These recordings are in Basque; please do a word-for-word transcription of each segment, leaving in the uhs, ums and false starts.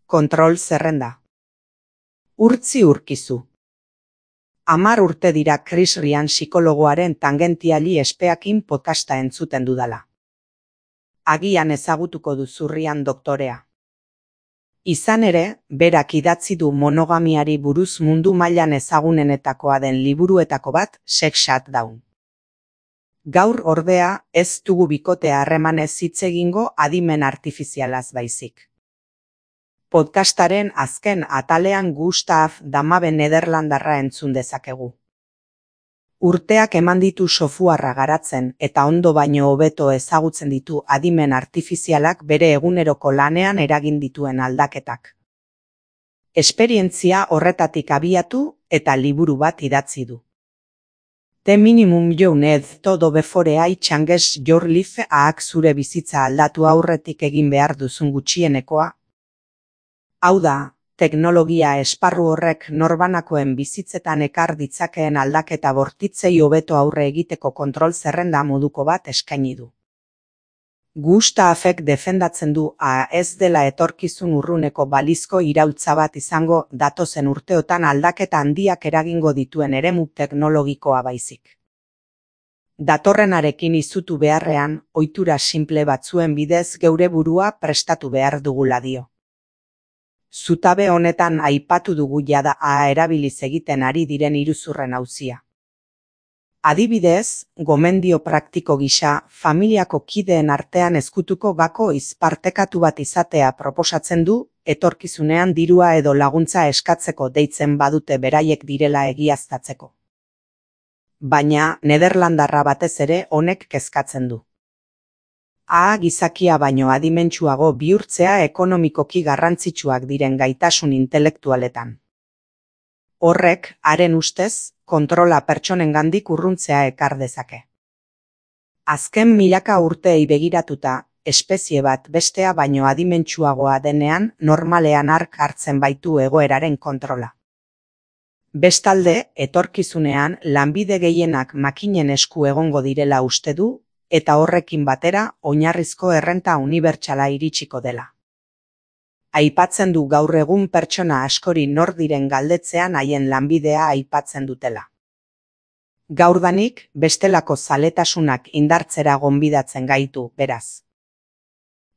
Kontrol zerrenda. Urtzi urkizu. Hamar urte dira Chris Ryan psikologoaren tangentiali espeakin podcasta entzuten dudala. Agian ezagutuko duzu Ryan doktorea. Izan ere, berak idatzi du monogamiari buruz mundu mailan ezagunenetakoa den liburuetako bat, Sex Shutdown. Gaur ordea, ez dugu bikote harremanez hitz egingo adimen artifizialaz baizik. Podcastaren azken atalean Gustav Damabe Nederlandarra entzun dezakegu. Urteak eman ditu softwarea garatzen eta ondo baino hobeto ezagutzen ditu adimen artifizialak bere eguneroko lanean eragin dituen aldaketak. Esperientzia horretatik abiatu eta liburu bat idatzi du. The minimum you need to do before I change your life, ahak zure bizitza aldatu aurretik egin behar duzun gutxienekoa. Hau da, teknologia esparru horrek norbanakoen bizitzetan ekar ditzakeen aldaketa bortitzei hobeto aurre egiteko kontrol zerrenda moduko bat eskaini du. Gustavek defendatzen du a ez dela etorkizun urruneko balizko iraultza bat izango datozen urteotan aldaketa handiak eragingo dituen eremu teknologikoa baizik. Datorrenarekin izutu beharrean, ohitura sinple batzuen bidez geure burua prestatu behar dugula dio. Zutabe honetan aipatu dugu jada a erabiliz egiten ari diren iruzurren auzia. Adibidez, gomendio praktiko gisa, familiako kideen artean ezkutuko gako izpartekatu bat izatea proposatzen du, etorkizunean dirua edo laguntza eskatzeko deitzen badute beraiek direla egiaztatzeko. Baina, Nederlandarra batez ere honek kezkatzen du. A gizakia baino adimentsuago bihurtzea ekonomikoki garrantzitsuak diren gaitasun intelektualetan. Horrek, haren ustez, kontrola pertsonengandik urruntzea ekar dezake. Azken milaka urteei begiratuta, espezie bat bestea baino adimentsuagoa denean normalean hark hartzen baitu egoeraren kontrola. Bestalde, etorkizunean lanbide gehienak makinen esku egongo direla uste du, eta horrekin batera oinarrizko errenta unibertsala iritsiko dela. Aipatzen du gaur egun pertsona askori nor diren galdetzean haien lanbidea aipatzen dutela. Gaurdanik bestelako zaletasunak indartzera gonbidatzen gaitu, beraz.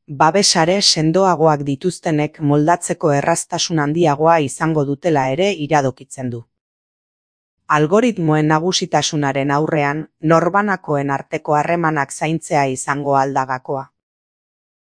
Babesare sendoagoak dituztenek moldatzeko erraztasun handiagoa izango dutela ere iradokitzen du. Algoritmoen nagusitasunaren aurrean, norbanakoen arteko harremanak zaintzea izango aldagakoa.